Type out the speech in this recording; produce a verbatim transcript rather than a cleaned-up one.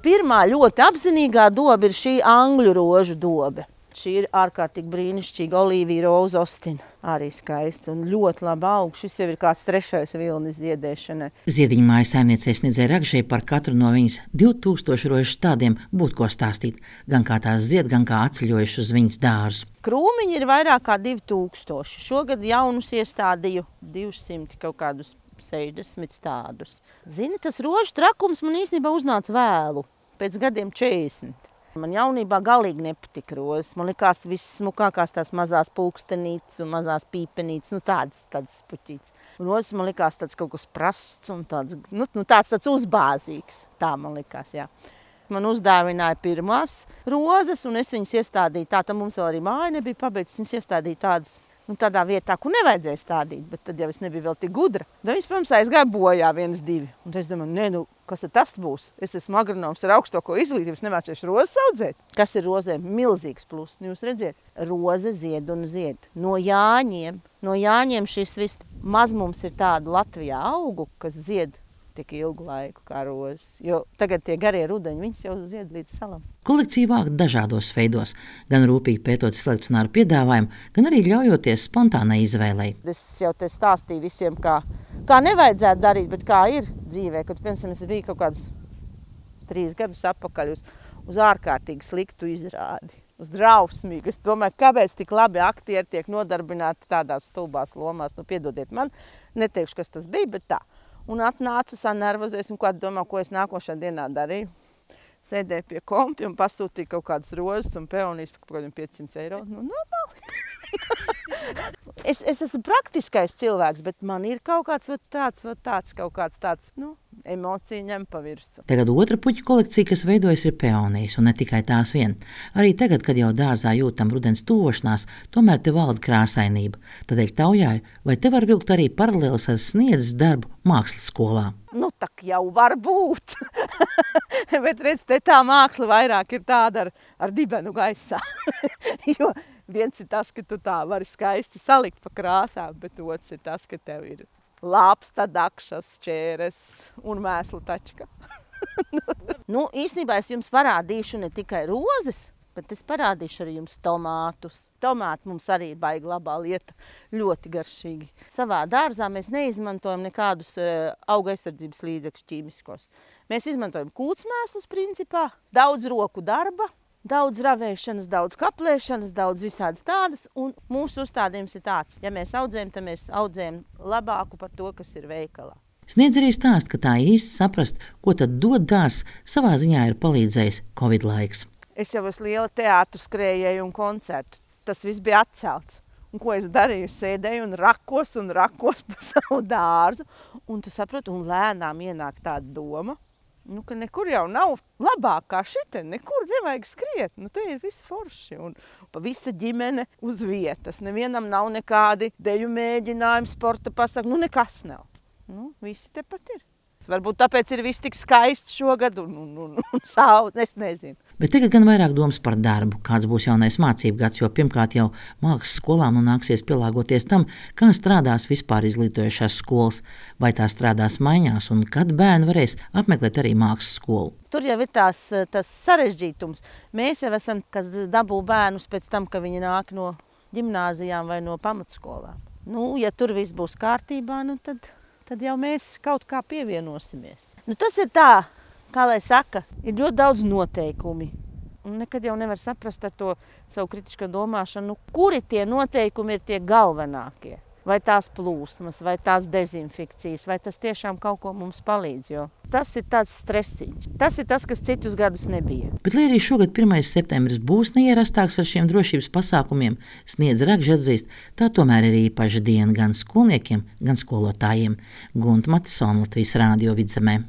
Pirmā ļoti apzinīgā doba ir šī angļu rožu dobe. Šī ir ārkārtīgi brīnišķīga Olivija Rose Austina. Arī skaista un ļoti labi aug. Šis jau ir kāds trešais vilnis ziedēšanai. Ziediņu mājas saimniecei Sniedzei Rakžai par katru no viņas divu tūkstošu rožu stādiem būtu ko stāstīt. Gan kā tās zied, gan kā atceļojuši uz viņas dārzu. Krūmiņi ir vairāk kā divi tūkstoši. Šogad jaunus iestādīju divsimt kaut kādus sešdesmit stādus. Zini, tas rožu trakums man īstenībā uznāca vēlu, pēc gadiem četrdesmit. Man jaunībā galīgi nepatika rozes. Man likās vissmukākās tās mazās pulkstenītes un mazās pīpenītes, nu tādas, tādas puķītes. Rozes man likās tāds kaut kas prasts un tāds, nu, nu tāds, tāds uzbāzīgs. Tā man likās, jā. Man uzdāvināja pirmās rozes un es viņas iestādīju tā, tad mums vēl arī māja nebija pabeigts, viņas iestādīju tādas, nu tādā vietā, kur nevajadzēja stādīt, bet tad jau es nebiju vēl tik gudra. Tad viņas, protams, aizgāja bojā vienas divi. Un es domāju, ne, nu, kas tad tas būs? Es esmu agronoms ar augstāko izglītību, es nemācīšu rozes audzēt. Kas ir rozēm? Milzīgs plus. Jūs redziet, roze zied un zied. No jāņiem, no jāņiem šis viss mazmums ir tādu Latvijā augu, kas zied tik ilgu laiku kā rozes. Jo tagad tie garie rudeņi, viņas jau zied līdz salam. Kolekcija vākt dažādos veidos, gan rūpīgi pētot selekcionāru piedāvājumu, gan arī ļaujoties spontānai izvēlei. Es jau te stāstīju visiem, kā, kā nevajadzētu darīt, bet kā ir dzīvē. Kad, piemēram, es biju kaut kādus trīs gadus atpakaļ uz, uz ārkārtīgi sliktu izrādi, uz drausmīgu. Es domāju, kāpēc tik labi aktieri tiek nodarbināti tādās stulbās lomās. Nu, piedodiet man, neteikšu, kas tas bija, bet tā. Un atnācu sanervozēs un ko domā, ko es nākošā dienā darīju. Sēdēju pie kompi un pasūtīju kaut kādas rozes un peonijas par kaut kādiem piecsimt eiro. Nu, normāli. es, es esmu praktiskais cilvēks, bet man ir kaut kāds vat tāds, vat tāds, kaut kāds tāds, nu, emocija ņem pa virsu. Tagad otra puķu kolekcija, kas veidojas, ir peonijas, un ne tikai tās vien. Arī tagad, kad jau dārzā jūtam rudens tuvošanās, tomēr te valda krāsainība. Tādēļ taujāju, vai te var vilkt arī paralēlis ar Sniedzes darbu mākslas skolā? Nu, tak jau var būt. Bet redz, te tā māksla vairāk ir tāda ar, ar dibenu gaisā. Jo viens ir tas, ka tu tā vari skaisti salikt pa krāsām, bet otrs ir tas, ka tev ir lāpsta, dakšas, čēres un mēslu tačka. Nu, īstenībā es jums parādīšu ne tikai rozes, bet es parādīšu arī jums tomātus. Tomāti mums arī ir baigi labā lieta, ļoti garšīgi. Savā dārzā mēs neizmantojam nekādus auga aizsardzības līdzekļus ķīmiskos. Mēs izmantojam kūtsmēslus principā, daudz roku darba, daudz ravēšanas, daudz kaplēšanas, daudz visādas tādas, un mūsu uzstādījums ir tāds, ja mēs audzējam, tad mēs audzējam labāku par to, kas ir veikalā. Sniedz arī stāst, ka tā īsti saprast, ko tad dod dārs, savā ziņā ir palīdzējis Covid laiks. Es jau esmu liela teātru skrējēju un koncertu. Tas viss bija atcelts. Un ko es darīju? Sēdēju un rakos un rakos pa savu dārzu. Un tu saproti, un lēnām ienāk tāda doma, nu, ka nekur jau nav labāk kā šitien, nekur nevajag skriet. Nu, te ir visi forši un pa visa ģimene uz vietas. Nevienam nav nekādi deju mēģinājumi, sporta pasaka, nu nekas nav. Nu, visi tepat ir. Varbūt tāpēc ir viss tik skaists šogad un, un, un, un sauc, es nezinu. Bet tagad gan vairāk domas par darbu, kāds būs jaunais mācību gads, jo pirmkārt jau mākslas skolām nu nāksies pielāgoties tam, kā strādās vispār izglītojušās skolas, vai tā strādās maiņās un kad bērni varēs apmeklēt arī mākslas skolu. Tur jau ir tās, tas sarežģītums. Mēs jau esam, kas dabū bērnus pēc tam, ka viņi nāk no ģimnāzijām vai no pamatskolām. Nu, ja tur viss būs kārtībā, nu tad... tad jau mēs kaut kā pievienosimies. Nu, tas ir tā, kā lai saka, ir ļoti daudz noteikumi. Un nekad jau nevar saprast ar to savu kritisko domāšanu, nu, kuri tie noteikumi ir tie galvenākie. Vai tās plūsmas, vai tās dezinfekcijas, vai tas tiešām kaut ko mums palīdz, jo tas ir tāds stresiņš. Tas ir tas, kas citus gadus nebija. Bet, lai arī šogad pirmais septembris būs neierastāks ar šiem drošības pasākumiem, Sniedze Rakža atzīst, tā tomēr ir īpaša diena gan skolniekiem, gan skolotājiem. Gunta Matisona, Latvijas Rādio Vidzemē.